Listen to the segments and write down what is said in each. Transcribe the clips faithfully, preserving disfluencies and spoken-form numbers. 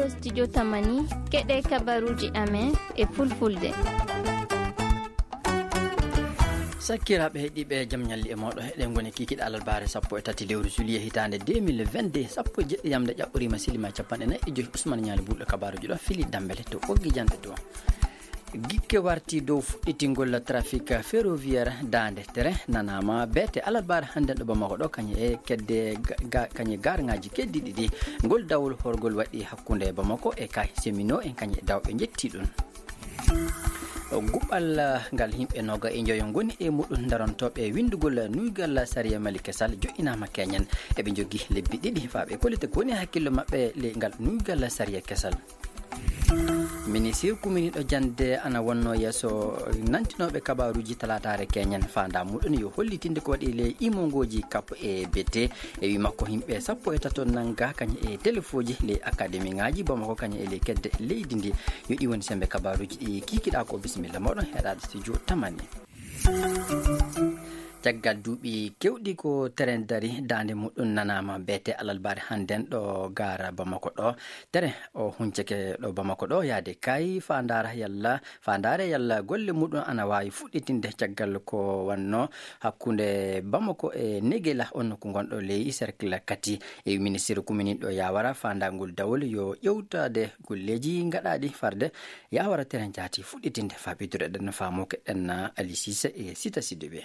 Studio Tamani, keɗe kabaruji amen e fulfulde. Sakkiraaɓe heɗiiɓe, jam ñalli e mooɗo. Eɗen ngoni kikiɗe alarbaare sappo e tati lewru juillet hitaande deux mille vingt-deux, sappo e jeɗɗi yamde ƴaɓɓoriima silima capanɗe nayi e joyi. Ousmane Ñaali Bulɗo, kabaruji ɗo fili Dambele to Ɓoggi Janɗe to. Gikke warti dow fuɗɗitingol trafic ferroviaire daande tere nanaama beete alarbaare hannden ɗo Bamako ɗo, kañum e kedde ga-, ga-, kañum e garŋaaji keddiiɗi ɗi. Ngol dawol horgol waɗi hakkunde Bamako e Kay Semino en kañum e dawɓe njetti ɗum. Guɓal ngal yimɓe noga e njoyo ngoni e muɗum darantooɓe winndugol nuygal sariya Mali kesal joƴƴinaama keñen. Eɓe njogii lebbi ɗiɗi faa ɓe kollita ko woni hakkillo maɓɓe ley ngal nuygal sariya kesal. Ministir kuminiiɗo jannde ana wonnoo yeeso nantinooɓe kabaaruuji talaataare keñen, faandaa muɗum yo hollitinde ko waɗi ley imongooji kap e bete. E wii makko, yimɓe sappo e tato nanngaa kañum e telefooji ley akademiŋaaji Bamako kañum e ley kedde leydi ndi. Yo ɗi woni semmbe kabaaruuji ɗi kiikiɗaa ko. Bisimilla mooɗon heɗaaɗo studio Tamani. Caggal duuɓi keewɗi ko teren dari, daande muɗum nanaama beete alarbaare hannden ɗo gaara Bamako ɗo. Teren o huncake ɗo Bamako ɗo yaade Kay, faandaara yalla, faandaare yalla golle muɗum ana waawi fuɗɗitinde caggal ko wannoo hakkunde Bamako e Negela, on nokku ngonɗo ley cercle Kati. E ministir kuminiiɗo Yawara, faandaangol dawol yo ƴewtaade golleeji gaɗaaɗi farde Yawara teren jaati fuɗɗitinde. Faa ɓeydude ɗen faamu keɗen Ali Sise e Sita Sidibe.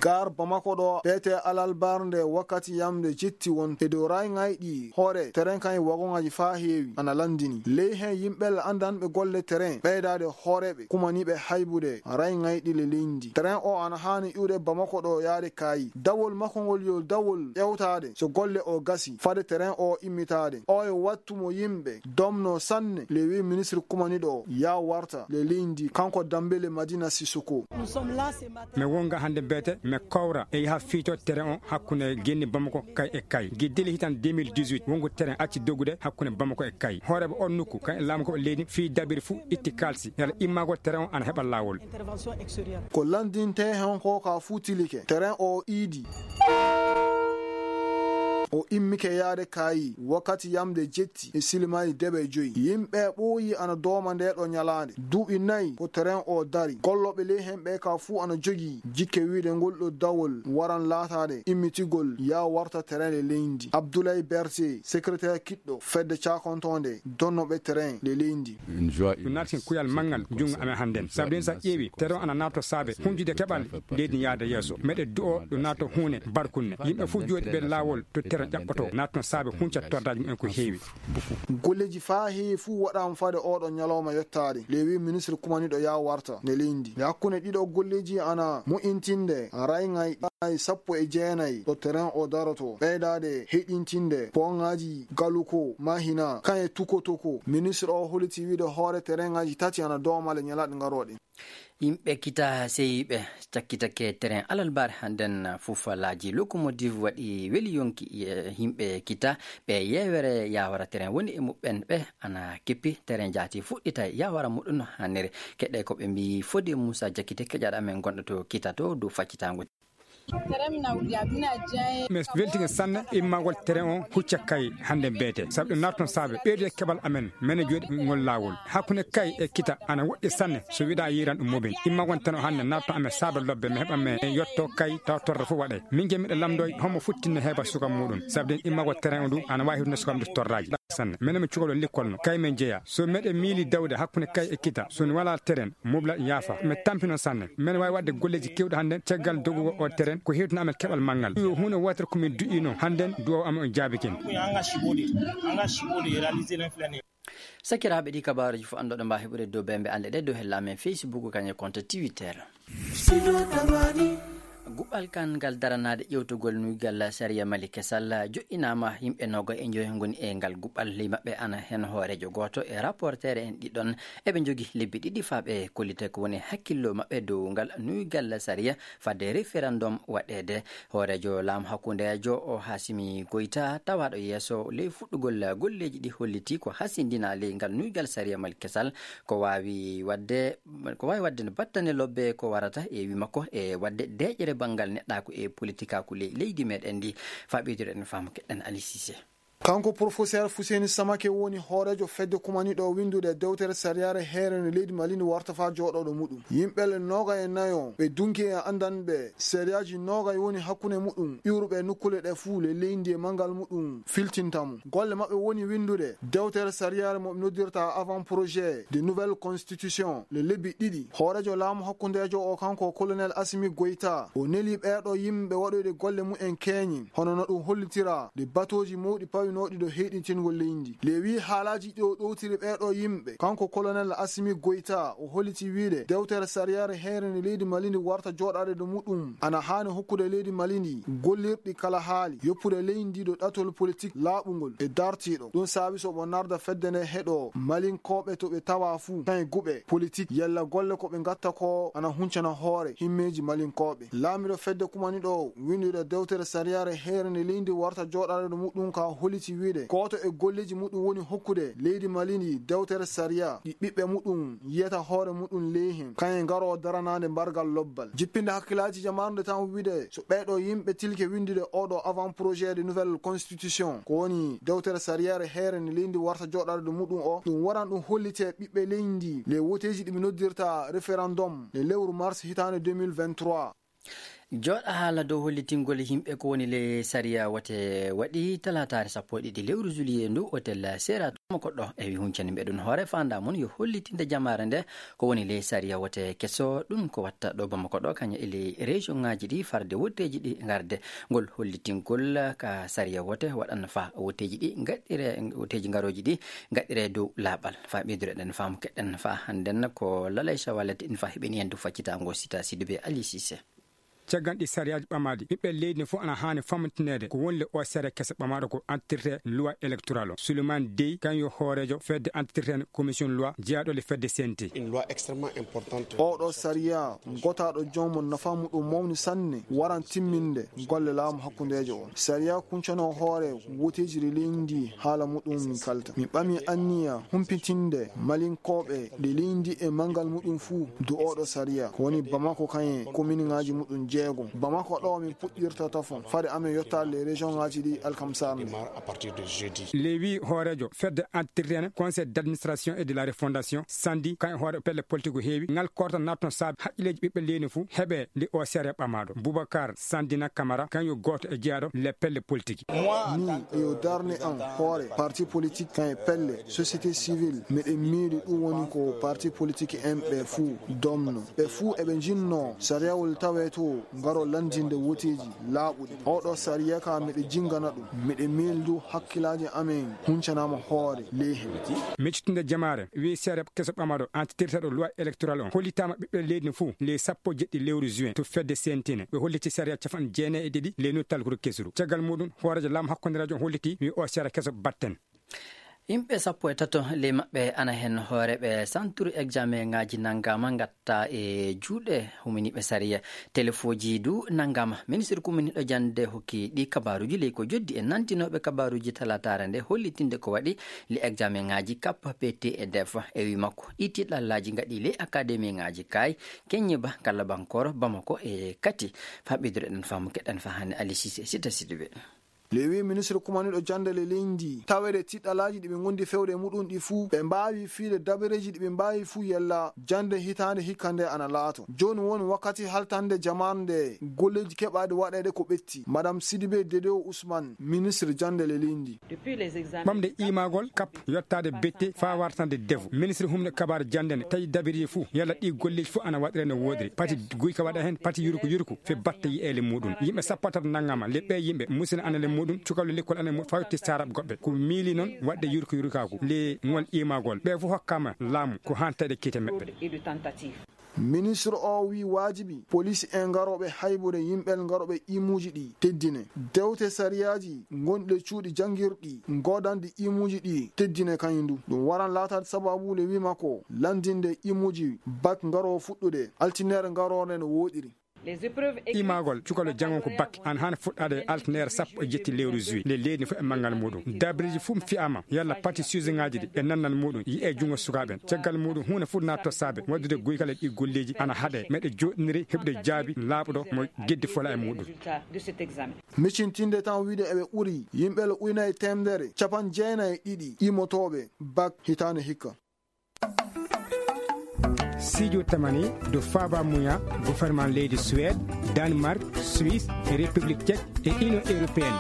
Gar Bamako ɗo, beete alarbaare nde wakkati yamde jetti won e dow rayŋayɗi hoore teren kan e wagoŋaaji faa heewi ana lanndini. Ley hen yimɓe anndanɓe golle teren, ɓeydaade hooreeɓe kumaniiɓe haybude rayŋayɗi le leydi. Teren o ana haani iwde Bamako ɗo yaade Kaayi. Dawol makko ngol yo dawol ƴewtaade so golle o gasi, fade teren o immitaade. O e wattu mo yimɓe domno sanne, le wi ministre kumaniiɗo o ya warta le leydi, kanko Dambele Madina Sissoko. Mi wonga hannde beete, mi kowra e yaha fiito teren o hakkunde genni Bamako Kay e Kay. Giddili hitan deux mille dix-huit, wongu teren acci dogude hakkunde Bamako e Kay. Hooreeɓe on nokku, kan e laamu ko leydi fii dabiri fuu itti kaalsi. Yalla immagol teren o ana heɓa laawol. Ko lanndintee hen ko ka fuu tilike. Teren o iidi. O immike yaade Kaayi wakkati yamde jetti e silimaaji debe joyi. Yimɓe ɓooyi ana dooma nde ɗo ñalaande. Duuɓi nayi ko teren o dari. Gollooɓe ley hen ɓe ka fuu ana jogii jikke wiide ngol ɗo dawol waran laataade immitigol ya warta teren le leydi. Abdoulaye Berté, secrétaire kiɗɗo fedde caakontoonde donnooɓe teren le leydi. Ɗum naati kuyal manngal junngo amen hannden. Sabu ɗum, so a ƴeewi, teren o ana naatoo saabe huncude keɓal leydi yaade yeeso. Meɗe du'oo ɗum naatoo huunde barkunde. Yimɓe fof jooɗi ɓe laawol to teren ƴaɓɓotoo. Naatno saabe hunca tordaaji mumen ko heewi. Golleeji faa heewi fof waɗaama fade oɗo ñalawma yottaade. Le wi ministre kumaniiɗo ya warta ne leydi. Nde hakkunde ɗiɗo golleeji ana mo'intinde rayŋay sappo e jeenayi ɗo teren o daroto. Ɓeydaade heɗintinde pooŋaaji Galuko, Mahina, kan e Tukotoko. Ministre o holliti wiide hoore terenŋaaji tati ana doomale ñalaaɗe ngarooɗe. Yimɓe kita seyiiɓe cakkitake teren alalbaare hannden. Fufalaaji lokomotiv waɗi weli yonki e yimɓe kita ɓe yeewere yaawara teren woni e muɓɓen ɓe ana keppi teren jaati fuɗɗita yaawara muɗum no hannere. Keɗe ko ɓe mbii fode Moussa Jakite keƴaɗo amen gonɗo to kita to dow faccitaango. Mi weltike sanne immagol teren o hucca Kay hannde beete, sabu ɗum naatno saabe ɓeydude keɓal amen, mene jooɗi ngol laawol. Hakkunde Kay e kita ana woɗɗi sanne, so wiɗa yiran ɗum mobin. Immagol teren o hannde naatno amen saabe lobbe, mi heɓa mi yotto Kay taw torra fof waɗay. Min je miɗo lamdoy homo futtinne heɓa suka muɗum, sabu ɗen immagol teren o ndu ana wawi hirde suka muɗum torraji. Sanne. Menen mi cukalɗo likkolno, Kay men jeya. So meɗen miili dawde hakkunde Kay e kita, so mi wala teren, mobla yaafa. Mi tampino sanne. Men wawi wadde golleji kewɗi hannde caggal dogugo o teren, ko hewtina amen keɓal manngal. Yo huunde wootere ko min du'ino, hannden du'aw amen on jaabikin. Sakiraaɓe, ɗi kabaaruji fof anndoɗo mba heɓude dow bembe annde ɗe dow hella amen Facebook kañe compte Twitter. Guɓɓal kan ngal daranaade ƴewtugol nuygal sariya Mali kesal joƴƴinaama. Yimɓe noga e njoyo ngoni e ngal guɓɓal, ley maɓɓe ana heen hooreejo gooto e rapporteere en ɗiɗon. Eɓe njogii lebbi ɗiɗi faa ɓe kollita ko woni hakkillo maɓɓe dow ngal nuygal sariya fadde référendum waɗeede. Hooreejo laamu hakkundeejo o Hasimi Goyta, tawaaɗo yeeso ley fuɗɗugol golleeji ɗi, holliti ko hasindina ley ngal nuygal sariya Mali kesal ko waawi waɗde ko waawi waɗde no battane lobbe ko warata e wi makko e waɗde deeƴere banngal neɗɗaaku e politikaaku ley leydi meɗen ndi. Faa ɓeydude en faamu keɗen Ali Cissé. Kanko Professeur Fuseni Samake woni hooreejo fedde kumaniiɗo winndude dewtere sariyaare heerende leydi Mali ndi warta faa jooɗooɗo muɗum. Yimɓe le nooga e nayo ɓe dunki e anndanɓe sariyaaji nooga woni hakkunde muɗum iwruɓe e nokkuule ɗe fuu le leydi e manngal muɗum filtinta mo. Golle maɓɓe woni winndude dewtere sariyaare mo ɓe noddirta avant projet de nouvelle constitution le lebbi ɗiɗi. Hooreejo laamu hakkundeejo o kanko Colonel Assimi Goïta o neli ɓeeɗo yimɓe waɗoyde golle mumen keeñe hono no ɗum hollitira ɗi batooji mawɗi pawinooɗi ɗo heyɗintingol leydi. Le wii haalaaji ɗi o ɗowtiri ɓeeɗo yimɓe, kanko Colonel Assimi Goïta o holliti wiide dewtere sariyaare heerende leydi Mali ndi warta jooɗaade ɗo muɗum ana haani hokkude leydi Mali ndi gollirɗi kala haali yoppude leydi ndi ɗo ɗatol politik laaɓungol e dartiiɗo. Ɗum saabi so ɓo narda fedde nde heɗo Malinkooɓe to ɓe tawa fuu, kañe guɓe politik yalla golle ko ɓe ngatta ko ana huncana hoore himmeeji Malinkooɓe. Laamiiɗo fedde kumaniiɗo winndude dewtere sariyaare heerende leydi warta jooɗaade ɗo muɗum ka holliti wiide gooto e golleeji muɗum woni hokkude leydi Mali ndi dewtere sariya ɗi ɓiɓɓe muɗum yiyata hoore muɗum ley hen, kañe ngaroo daranaade mbargal lobbal. Jippinde hakkilaaji jamaanu nde tan wiide so ɓeeɗo yimɓe tilke winndude oɗo avant projet de nouvelle constitution, ko woni dewtere sariyaare heerende leydi warta jooɗaade ɗo muɗum o, ɗum waran ɗum hollite ɓiɓɓe leydi le woteeji ɗi ɓe noddirta référendum le lewru mars hitaande deux mille vingt-trois. Jooɗa haala dow hollitingol yimɓe ko woni le sariya wote waɗi talaataare sappo e ɗiɗi lewru juillet ndu, otel Sera to Bamako ɗo e wi huncani mbeɗun hoore fanda mun yo hollitinde jamaare nde ko woni le sariya wote keso ɗum ko watta ɗo Bamako ɗo kaña e le région ngaji ɗi farde woteeji ɗi ngarde ngol hollitingol ka sariya wote waɗan fa woteeji ɗi gaɗɗire woteeji ngarooji ɗi gaɗɗire dow laaɓal fa ɓeydureɗen faamu keɗɗen fa hannden ko lalay sawalete in fa heɓeni hen du faccitango sita siduɓe Ali Cissé. Caggal ɗi sariyaaji ɓamaaɗi ɓiɓɓe leydi ne fof ana haani famtineede ko woni le o sere kese ɓamaaɗo ko entretien loi électorale o. Souleymane Dey kañum yo hooreejo fedde entretien commission loi jeyaaɗo le fedde C N T. Une loi extrêmement importante. Oɗo sariya gotaaɗo joomum nafa muɗum mawni sanne waran timminde golle laamu hakkundeejo on. Sariya kuncano hoore woteeji ɗi leydi ndi haala muɗum min kalta. Mi ɓami anniya humpitinde malinkooɓe ɗi leydi ndi e manngal muɗum fuu du oɗo sariya ko woni Bamako kañe kominŋaaji muɗum jeegom. Bamako ɗo min puɗɗirta tafon fade amen yottaade le région ŋaaji ɗi alkamsar nde. Démarre à partir de jeudi. Lewi hooreejo fedde entretien conseil d'administration et de la refondation sandi kañum hoore pelle politique o heewi ngal korta natno saabe haqqilleeji ɓiɓɓe leydi fuu heɓe nde o sere ɓamaaɗo. Boubacar Sandina Camara kañum yo gooto e jeyaaɗo le pelle politique. Ni e yo darne am hoore parti politique kan e pelle société civile miɗen miili ɗum woni ko parti politique en ɓe fuu domno ɓe fuu eɓe njinnoo sariyawol tawee to ngaro lanndinde woteeji laaɓuɗi. Oɗo sariya ka miɗo jinngana ɗum, miɗo miildu hakkilaaji amen huncanaama hoore ley heen. Miccitinde jamaare, wi seere keso ɓamaɗo, antitirteɗo loi électoral on, hollitaama ɓiɓɓe leydi no fof, ley sappo e jeɗɗi lewru juin, to fedde C N T ne. Ɓe holliti sariya capanɗe jeenayi e ɗiɗi, ley nottal guru kesuru. Caggal muɗum, hooreejo laamu hakkondireejo on holliti, wi o sariya keso batten. Yimɓe sappo e tato ley maɓɓe ana heen hooreeɓe santuuru examen ŋaaji nanngaama ngatta e juuɗe huminiiɓe sariya. Telefooji du nanngaama. Ministir kuminiiɗo jannde hokki ɗi kabaaruuji ley ko joddi e nantinooɓe kabaaruuji talaataare nde hollitinde ko waɗi le examen ŋaaji kap P T e def. E wi makko, ɗi tiiɗallaaji ngaɗi ley akademi ŋaaji kaay, Keññiba, Kalla Bankoro, Bamako e Kati. Fa ɓeydureɗen faamu keɗen fa hannde Ali Cissé, Sita Sidibé. Lewi ministre kumaniiɗo jannde le leydi ndi, taweede tiiɗalaaji ɗi ɓe ngondi fewde e muɗum ɗi fuu, ɓe mbaawi fiide dabareeji ɗi ɓe mbaawi fuu yalla jannde hitaande hikka nde ana laato. Jooni woni wakkati haltande jamaanu nde golleeji keɓaaɗi waɗeede ko ɓetti. Madame Sidibé Dedo Ousmane, ministre jannde le leydi ndi. Ɓamde imaagol kap yottaade bette faa wartande defu. Ministre humne kabaar jannde ne tawi dabiri fuu yalla ɗi golleeji fuu ana waɗire no woodiri. Pati guyka waɗa heen, pati yurku yurku. Fe batte yi'eele muɗum. Yimɓe sappo e tato nanngama, le ɓee yimɓe, musina ana le muɗum, cukalɓe lekkol ana le muɗum, fawti sarab goɓɓe. Ko miili noon waɗde yurko yurkaaku, le ngol imaagol. Ɓe fof hokkaama laamu ko haan taƴa kiite maɓɓe. Ministre o wi waajibi, police en ngarooɓe haybude yimɓe ngarooɓe imuuji ɗi teddine. Dewte sariyaaji gonɗe cuuɗi janngirɗi, goodanɗi imuuji ɗi teddine kañum du. Ɗum waran laataade sababu le wi makko, lanndinde imuuji bak ngaroo fuɗɗude, altine ngaroore no wooɗiri. Les épreuves écrites. Imagol cukalo jangon ko bac an hana fuɗɗade e alternere sappo e jetti lewru juillet. Le leydi fof e manngal muɗum. Dabriji fof fi'ama yalla parti sujet ngaji ɗi e nannal muɗum yi'e junngo sukaaɓe en. Caggal muɗum huunde fof natto saabe waddude guygal e ɗi golleji ana haɗe. Meɗe joɗɗiniri heɓde jaabi laaɓɗo mo geddi fola e muɗum. Résultat de cet examen. Micintinde tan wiide eɓe ɓuri yimɓe le ujunere e temedere capan jeenayi e ɗiɗi imotooɓe bac hitaande hikka. Sidio Tamani do Faba Muya, gouvernement leydi Suède, Danemark, Suisse, République Tchèque et Union Européenne.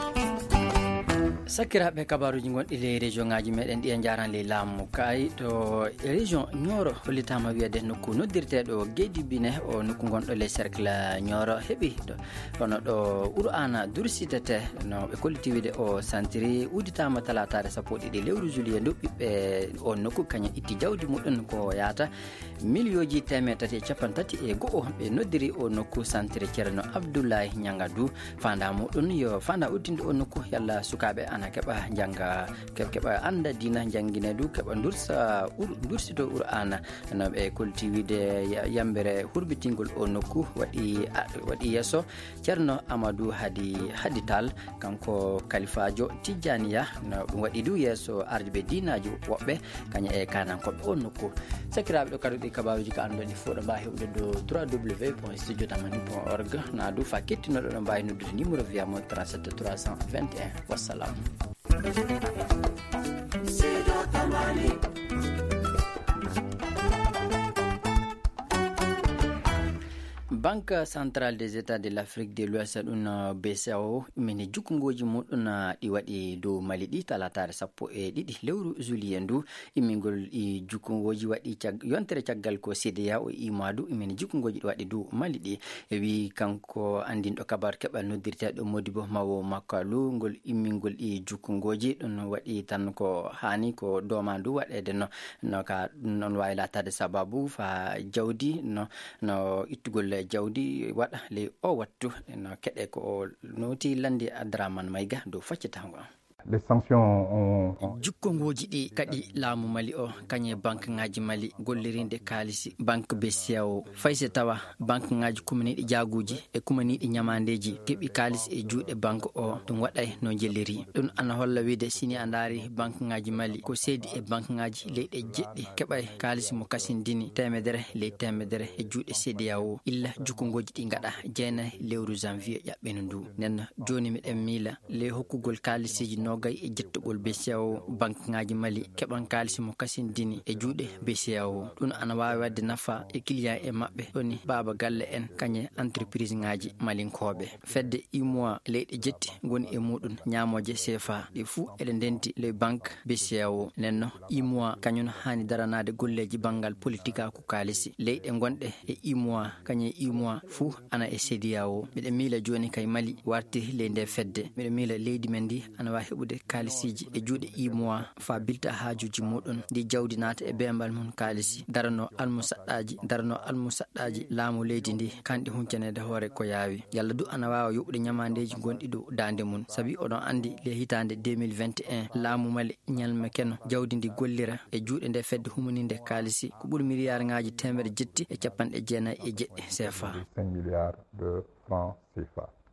Sakiraaɓe, kabaruuji gonɗi ley région ngaji meɗen ɗi e jaran ley laamu kay to région Nioro hollitama wiyede nokku noddirteɗo Gedibine, o nokku gonɗo ley cercle Nioro heɓi ɗo. Kono ɗo Qur'aana dursitetee, no ɓe kolliti wiide o santiri udditaama talaataare sappo e ɗiɗi lewru juillet ndu. Ɓiɓɓe o nokku kañum itti jawdi muɗum ko yaata miliyooji teemedde tati e capanɗe tati e go'o. Ɓe noddiri o nokku santiri Ceerno Abdullahi Ñangadu. Faandaa muɗum yo faandaa uddinde o nokku yalla sukaaɓe ana keɓa jannga, ke-, keɓa annda diina, janngine du, keɓa dursa, ur-, dursito Qur'aana. No ɓe kolliti wiide ya-, yambere hurbitingol o nokku waɗi, a-, waɗi yeeso Ceerno Amadou Hadi, Hadi Tall, kanko kalifaajo Tijjaniya. No ɗum waɗi du yeeso ardiiɓe diinaaji woɓɓe, kañum e kaanankooɓe o nokku. Sakiraaɓe, ɗo kadi ɗi kabaaruuji ka annduɗen ɗi fof ɗo mbaawi heɓude ɗo trois W point studio tamani point org. Na du fa kettinoɗo ɗo mbaawi noddude numéro via mo trente-sept trois cent vingt et un. Wassalam. Banque Centrale des États de l'Afrique de l'Ouest, ɗum, uh, B C A O, mini jukkungooji muɗum, uh, ɗi waɗi dow Mali ɗi talaataare sappo e ɗiɗi lewru juillet ndu. Immingol ɗi jukkungooji waɗi cag-, yontere caggal ko C D A O imaadu immini jukkungooji ɗi waɗi dow Mali ɗi. E wi kanko anndinɗo kabar keɓal noddirteeɗo Modibo Mawo Makalu, ngol immingol ɗi jukkungooji ɗum waɗi tan ko haani ko dooma ndu waɗeede no, no ka ɗum noon waawi laataade sababu fa jawdi no, no ittugol jawdi waɗa ley o wattu no keɗe ko o noti landi Adraman Mayga dow faccatango. Les sanctions ont, ont Jukkongooji ɗi kadi laamu Mali o, kañe banque ŋaaji Mali gollirinde kaalisi banque B C A O, fay so tawa banque ŋaaji kumaniiɗi jaaguuji e kumaniiɗi ñamaandeeji keɓi kaalisi e juuɗe banque o, ɗum waɗay no jeliri. Ɗum ana holla wiide sini a ndaari banque ŋaaji Mali ko seedi e banque ŋaaji leyɗe jeɗɗi keɓay kaalisi mo kasindini teemedere ley teemedere e juuɗe C D A O illa jukkongooji ɗi ngaɗa jeenay lewru janvier ƴaɓɓino ndu. Nden jooni miɗen miila le hokkugol kaalisiiji noogay e jettugol B C A O, banque ŋaaji Mali keɓan kaalisi mo kasindini e juuɗe B C A O. Ɗum ana waawi waɗde nafa e client e maɓɓe, ɗoni baaba galle en, kañe entreprise ŋaaji malinkooɓe. Fedde U M O A leyɗe jetti ngoni e muɗum ñaamooje C F A, ɗe fuu eɗe ndenti le banque B C A O. Nenno U M O A kañum haani daranaade golleeji banngal politikaaku kaalisi. Leyɗe gonɗe e U M O A, kañe U M O A fuu ana e C D A O. Miɗo miila jooni kay Mali warti ley nde fedde. Miɗo miila leydi men ndi ana waawi heɓude kaalisiiji e juuɗe U M O A faa bilta haajuuji muɗum. Ndi jawdi naata e beembal mum kaalisi, darano almusaɗɗaaji, darano almusaɗɗaaji laamu leydi ndi, kanɗi huncaneede hoore ko yaawi. Yalla du ana waawa yoɓude ñamaandeeji gonɗi dow daande mum. Sabi oɗon anndi le hitaande deux mille vingt et un, laamu Mali ñalme keno jawdi ndi gollira e juuɗe nde fedde humaninde kaalisi ko ɓuri miliyaarŋaaji teemedde jetti e capanɗe jeenayi e jeɗɗi C F A. Cinq milliards de francs C F A.